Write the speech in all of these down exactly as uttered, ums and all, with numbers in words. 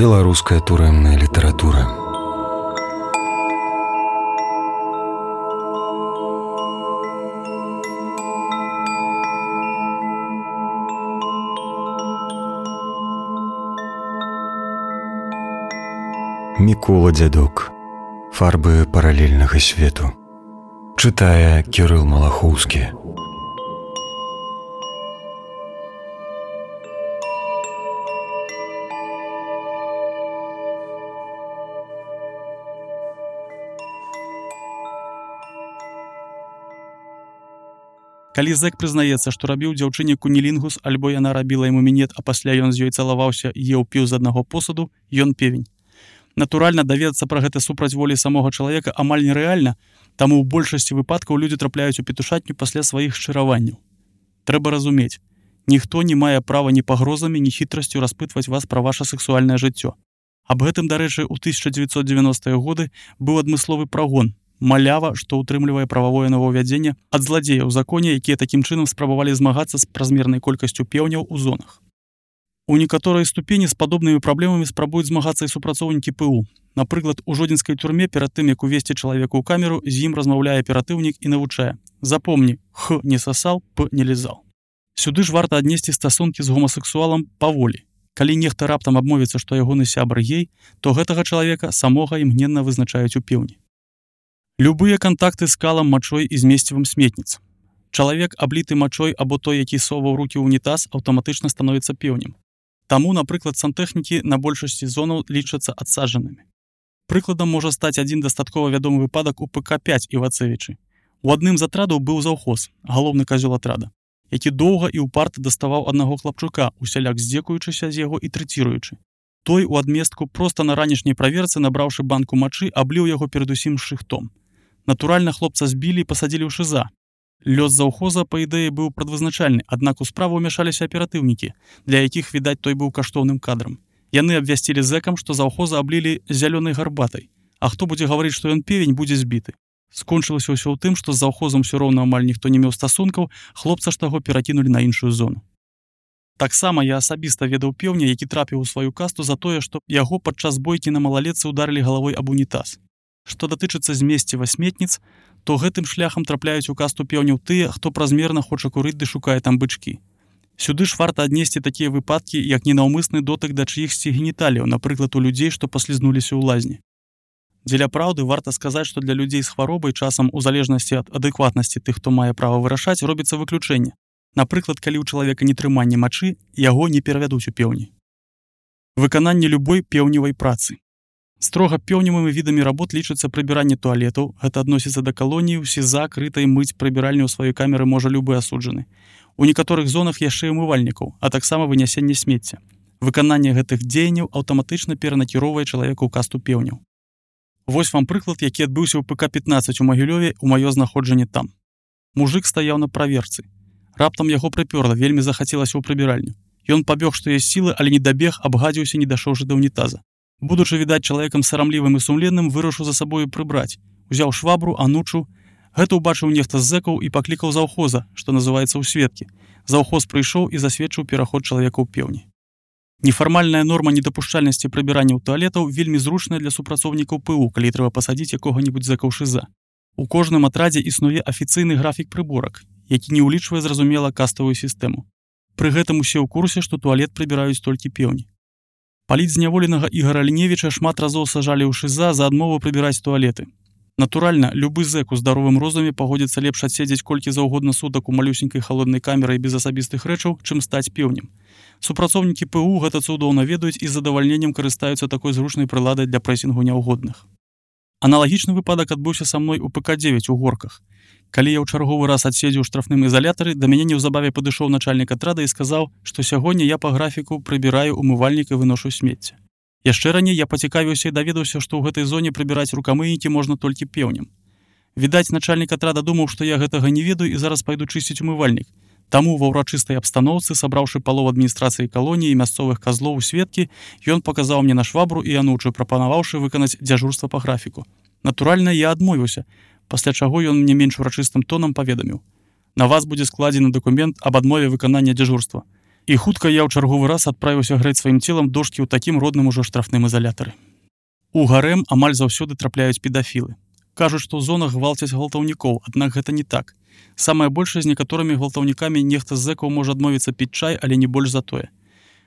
Беларуская турэмная літаратура. Мікола Дзядок. Фарбы паралельнага свету. Чытае Кірыл Малахоўскі. Калі зэк прызнаецца, што рабіў дзяўчыне кунілінгус, альбо яна рабіла яму мінет, а пасля ён з ёй цалаваўся і еў піў з аднаго посуду, ён певень. Натуральна, даведацца пра гэта супраць волі самога чалавека амаль нерэальна, таму ў большасці выпадкаў людзі трапляюць у петушатню пасля сваіх шчыраванняў. Трэба разумець, ніхто не мае права ні пагрозамі, ні хітрасцю распытваць вас пра ваша сексуальнае жыццё. Аб гэтым, дарэчы, у тысяча дзевяцьсот дзевяностыя годы быў адмысловы прагон, малява, што ўтрымлівае прававое новаўвядзенне ад зладзеяў у законе, якія такім чынам спрабавалі змагацца з празмернай колькасцю пеўняў у зонах. У некаторай ступені з падобнымі праблемамі спрабуюць змагацца і супрацоўнікі ПУ. Напрыклад, у жодзінскай турме перад тым, як увесці чалавека ў камеру, з ім размаўляе аператыўнік і навучае: запомні, х не сасал, п не лізал. Сюды ж варта аднесці стасункі з гомасексуалам паволі. Калі нехта раптам абмовіцца, што ягоны сябар гей, то гэтага чалавека самога імгненна вызначаюць у пеўні. Любыя кантакты з калам, мачой і змесцівым сметніц. Чалавек, абліты мачой або той, які соваў рукі ў унітаз, аўтаматычна становіцца пеўнем. Таму, напрыклад, сантэхнікі на большасці зонаў лічацца адсаджанымі. Прыкладам можа стаць адзін дастаткова вядомы выпадак у ПК пяць Івацэвічы. У адным з атрадаў быў заўхоз, галоўны казёл атрада, які доўга і ўпарта даставаў аднаго хлапчука, усяляк здзекуючыся з яго і трэціруючы. Той у адместку проста на ранішняй праверцы, набраўшы банку мачы, абліў яго перадусім шыхтом. Натуральна, хлопца збілі і пасадзілі ў шыза. Лёс заўхоза, па ідэі, быў прадвызначальны, аднак у справу ўмяшаліся аператыўнікі, для якіх, відаць, той быў каштоўным кадрам. Яны абвясцілі зэкам, што заўхоза аблілі зялёнай гарбатай, а хто будзе гаварыць, што ён певень, будзе збіты. Скончылася ўсё ў тым, што з заўхозам усё роўна амаль ніхто не меў стасункаў, хлопца ж таго перакінулі на іншую зону. Таксама я асабіста ведаў пеўня, які трапіў у сваю касту за тое, што яго падчас бойкі на малалетцы ўдарылі галавой аб унітаз. Што датычыцца змесціва сметніц, то гэтым шляхам трапляюць у касту пеўняў тыя, хто празмерна хоча курыць ды шукае там бычкі. Сюды ж варта аднесці такія выпадкі, як ненаўмысны дотык да чыихсьці геніталіяў, напрыклад, у людзей, што паслізнуліся ў лазні. Дзеля праўды варта сказаць, што для людзей з хваробай часам у залежнасці ад адэкватнасці тых, хто мае права вырашаць, робіцца выключэнне. Напрыклад, калі ў чалавека нетрыманне мачы, яго не перавядуць у пеўні. Выкананне любой пеўневай працы. Строга пеўневымі відамі работ лічыцца прыбіранне туалетаў, гэта адносіцца да калоніі, СІЗА, крытай мыць прыбіральню ў сваёй камеры можа любы асуджаны. У некаторых зонах яшчэ і умывальнікаў, а таксама вынясенне смецця. Выкананне гэтых дзеянняў аўтаматычна перанакіроўвае чалавека ў касту пеўняў. Вось вам прыклад, які адбыўся ў ПК пятнаццаць у Магілёве ў маё знаходжанне там. Мужык стаяў на праверцы. Раптам яго прыпёрла, вельмі захацелася ў прыбіральню. Ён пабег, што ёсць сілы, але не дабег, абгадзіўся, не дашоўшы да ўнітаза. Будучы, відаць, чалавекам сарамлівым і сумленным, вырашыў за сабою прыбраць. Узяў швабру, анучу. Гэта ўбачыў нехта з зэкаў і паклікаў заўхоза, што называецца ў сведкі. Заўхоз прыйшоў і засведчыў пераход чалавека ў пеўні. Нефармальная норма недапушчальнасці прыбірання ў туалетаў вельмі зручная для супрацоўнікаў ПУ, калі трэба пасадзіць якога-небудзь зэка ў шыза. У кожным атрадзе існуе афіцыйны графік прыборак, які не ўлічвае, зразумела, каставую сістэму. Пры гэтым усе ў курсе, што туалет прыбіраюць толькі пеўні. Палітзняволенага Ігара Ліневіча шмат разоў сажалі ў шыза за адмову прыбіраць туалеты. Натуральна, любы зэк у здаровым розуме пагодзіцца лепш адседзець колькі заўгодна сутак у малюсенькай халоднай камеры без асабістых рэчаў, чым стаць пеўнем. Супрацоўнікі ПУ гэта цудоўна ведаюць і з задавальненнем карыстаюцца такой зручнай прыладай для прэсінгу няўгодных. Аналагічны выпадак адбыўся са мной у ПК дзевяць у Горках. Калі я ў чарговы раз адседзеў у штрафным ізалятары, да мяне неўзабаве падышоў начальнік атрада і сказаў, што сягоння я па графіку прыбіраю умывальнік і выношу смецце. Яшчэ раней я пацікавіўся і даведаўся, што ў гэтай зоне прыбіраць рукамыйнікі можна толькі пеўнем. Відаць, начальнік атрада думаў, што я гэтага не ведаю і зараз пайду чысціць умывальнік. Таму ва ўрачыстай абстаноўцы, сабраўшы палову адміністрацыі калоніі і мясцовых казлоў у сведкі, ён паказаў мне на швабру і анучу, прапанаваўшы выканаць дзяжурства па графіку. Натуральна, я адмовіўся, пасля чаго ён мне менш урачыстым тонам паведаміў: на вас будзе складзены дакумент аб адмове выканання дзяжурства. І хутка я ў чарговы раз адправіўся грэць сваім целам дошкі ў такім родным ужо штрафным ізалятары. У гарэм амаль заўсёды трапляюць педафілы. Кажуць, што ў зонах гвалцяць гвалтаўнікоў, аднак гэта не так. Самае большае з некаторымі гвалтаўнікамі нехта з зэкаў можа адмовіцца піць чай, але не больш за тое.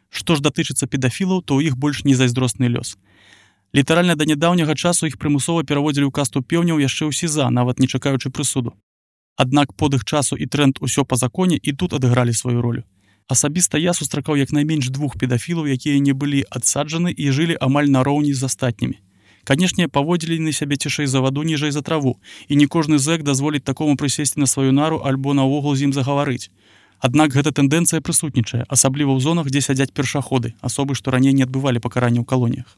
Што ж датычыцца педафілаў, то ў іх больш незайздросны лёс. Літаральна да нядаўняга часу іх прымусова пераводзілі ў касту пеўняў яшчэ ў СІЗА, нават не чакаючы прысуду. Аднак подых часу і тренд усё па законе і тут адыгралі сваю ролю. Асабіста я сустракаў як найменш двух педафілаў, якія не былі адсаджаны і жылі амаль нароўні з астатнімі. Канешне, паводзілі на сябе цішэй за ваду, ніжэй за траву, і не кожны зэк дазволіць такому прысесці на сваю нару альбо наогул з ім загаварыць. Аднак гэта тэндэнцыя прысутнічае, асабліва ў зонах, дзе сядзяць першаходы, асобы, што раней не адбывалі пакаранне ў калоніях.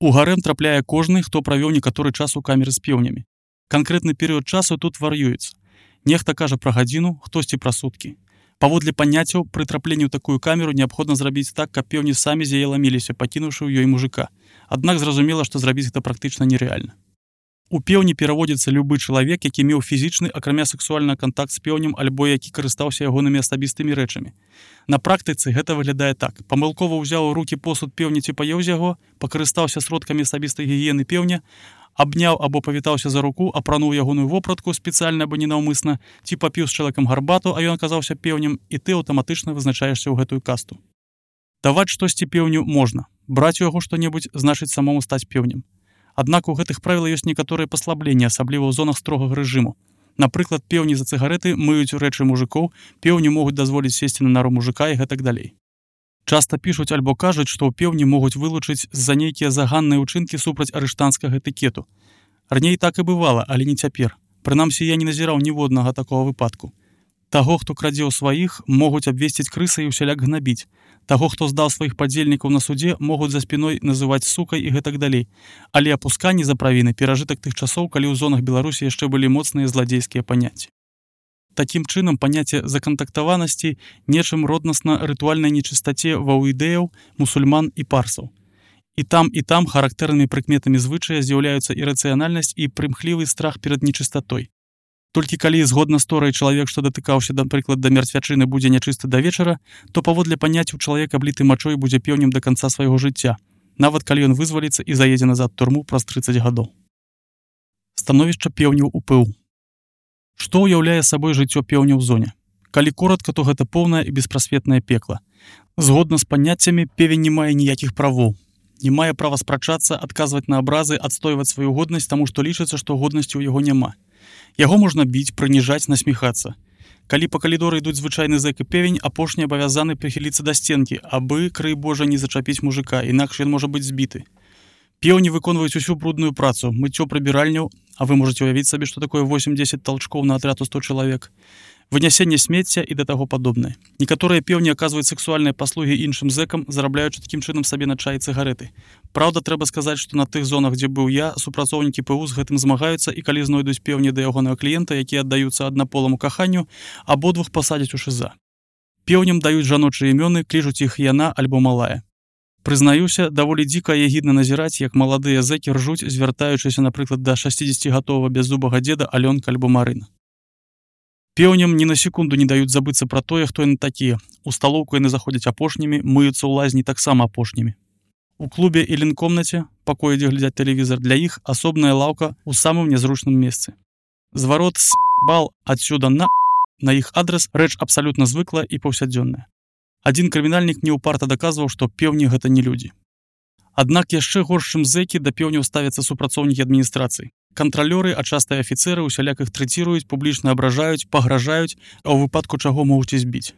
У гарэм трапляе кожны, хто правёў некаторы час у камеры з пеўнямі. Канкрэтны перыяд часу тут вар'юецца. Нехта кажа пра гадзіну, хтосьці пра суткі. Паводле паняццяў, пры трапленні ў такую камеру неабходна зрабіць так, каб пеўні самі з яе ламіліся, пакінуўшы ў ёй мужыка. Аднак зразумела, што зрабіць гэта практычна нерэальна. У пеўні пераводзіцца любы чалавек, які меў фізічны, акрамя сексуальны кантакт з пеўнем альбо які карыстаўся ягонымі асабістымі рэчамі. На практыцы гэта выглядае так. Памылкова ўзяў у рукі посуд пеўні ці паеў з яго, пакарыстаўся сродкамі асабістай гігіены пеўня, абняў або павітаўся за руку, апрануў ягоную вопратку спецыяльна або ненаўмысна, ці папіў з чалавекам гарбату, а ён аказаўся пеўнем, і ты аўтаматычна вызначаешся ў гэтую касту. Даваць штосьці пеўню можна. Браць у яго што-небудзь значыць самому стаць пеўнем. Аднак у гэтых правілах ёсць некаторыя паслабленні, асабліва ў зонах строгага рэжыму. Напрыклад, пеўні за цыгарэты мыюць рэчы мужыкоў, пеўню могуць дазволіць сесці на нару мужыка і гэтак далей. Часта пішуць альбо кажуць, што ў пеўні могуць вылучыць з-за нейкія заганныя ўчынкі супраць арыштанцкага этыкету. Раней так і бывала, але не цяпер. Прынамсі, я не назіраў ніводнага такога выпадку. Таго, хто крадзе ў сваіх, могуць абвесціць крысай і ўсяляк гнабіць. Таго, хто здаў сваіх падзельнікаў на судзе, могуць за спіной называць сукай і гэтак далей. Але апусканне за правіны перажытак тых часоў, калі ў зонах Беларусі яшчэ былі моцныя зладзейскія паняцці. Такім чынам, паняцце закантактаванасці нечым роднасна рытуальнай нечыстаце ваўідэяў, мусульман і парсаў. І там, і там характэрнымі прыкметамі звычая з'яўляюцца ірацыянальнасць і прымхлівы страх перад нечыстатой. Толькі калі, згодна з торай, чалавек, што датыкаўся, напрыклад, да мярцвячыны, будзе нячысты да вечара, то паводле паняццяў чалавек, абліты мачой, будзе пеўнем да канца свайго жыцця, нават калі ён вызваліцца і заедзе назад турму праз трыццаць гадоў. Становішча пеўняў у ПУ. Што ўяўляе сабой жыццё пеўня ў зоне? Калі коратка, то гэта поўнае і беспрасветнае пекла. Згодна з паняццямі, певень не мае ніякіх правоў. Не мае права спрачацца, адказваць на абразы, адстойваць сваю годнасць, таму што лічыцца, што годнасці ў яго няма. Яго можна біць, прыніжаць, насміхацца. Калі па калідоры ідуць звычайны зэк і певень, апошні абавязаны прыхіліцца да сценкі, абы, крый Божа, не зачапіць мужыка, інакш ён можа быць збіты. Пеўні выконваюць усю брудную працу, мыццё прыбіральняў, а вы можаце ўявіць сабе, што такое восемь-дзесяць талчкоў на атрад у сто чалавек, вынясенне смецця і да таго падобнае. Некаторыя пеўні аказваюць сексуальныя паслугі іншым зэкам, зарабляючы такім чынам сабе на чай і цыгарэты. Праўда, трэба сказаць, што на тых зонах, дзе быў я, супрацоўнікі ПУ з гэтым змагаюцца, і калі знойдуць пеўні да ягонага кліента, якія аддаюцца аднаполаму каханню, абодвух пасадзяць у ШІЗА. Пеўням даюць жаночыя імёны, клічуць іх яна альбо малая. Прызнаюся, даволі дзіка і агідна назіраць, як маладыя зэкі ржуць, звяртаючыся, напрыклад, да шасцідзесяцігадовага бяззубага дзеда Алёнка альбо Марына. Пеўням ні на секунду не даюць забыцца пра тое, хто яны такія. У сталоўку яны заходзяць апошнімі, мыюцца ў лазні таксама апошнімі. У клубе і лінкомнаце, пакоі, дзе глядзяць тэлевізар, для іх асобная лаўка ў самым нязручным месцы. Зварот с бал адсюда на на іх адрас рэч абсалютна звыклая і паўсядзённая. Адзін крымінальнік неўпарта даказваў, што пеўні гэта не людзі. Аднак яшчэ горш, чым зэкі, да пеўняў ставяцца супрацоўнікі адміністрацыі. Кантралёры, а часта і афіцэры усяляк іх трэціруюць, публічна абражаюць, пагражаюць, а ў выпадку чаго могуць і збіць.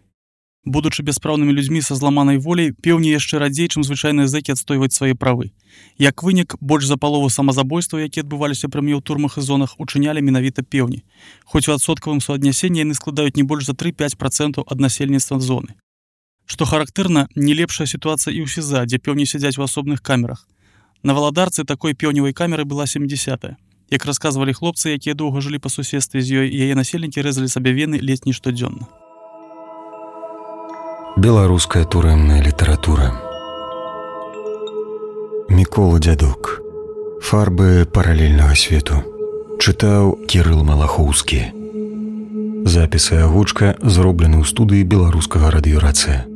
Будучы бяспраўнымі людзьмі са зламанай воляй, пеўні яшчэ радзей, чым звычайныя зэкі адстойваць свае правы. Як вынік, больш за палову самазабойстваў, якія адбываліся пры мне ў турмах і зонах, учынялі менавіта пеўні. Хоць у адсоткавым суаднясенні яны складаюць не больш за тры-пяць працэнтаў ад насельніцтва зоны. Што характэрна, не лепшая сітуацыя і ў СІЗА, дзе пеўні сядзяць у асобных камерах. На Валадарцы такой пеўневай камеры была сямдзесятая. Як расказвалі хлопцы, якія доўга жылі па суседстве з ёй, яе насельнікі рэзалі сабе вены ледзь не штодзённа. Беларуская турэмная літаратура. Мікола Дзядок. Фарбы паралельнага свету. Чытаў Кірыл Малахоўскі. Запіс і агучка зроблены ў студыі беларускага радыёрацыя.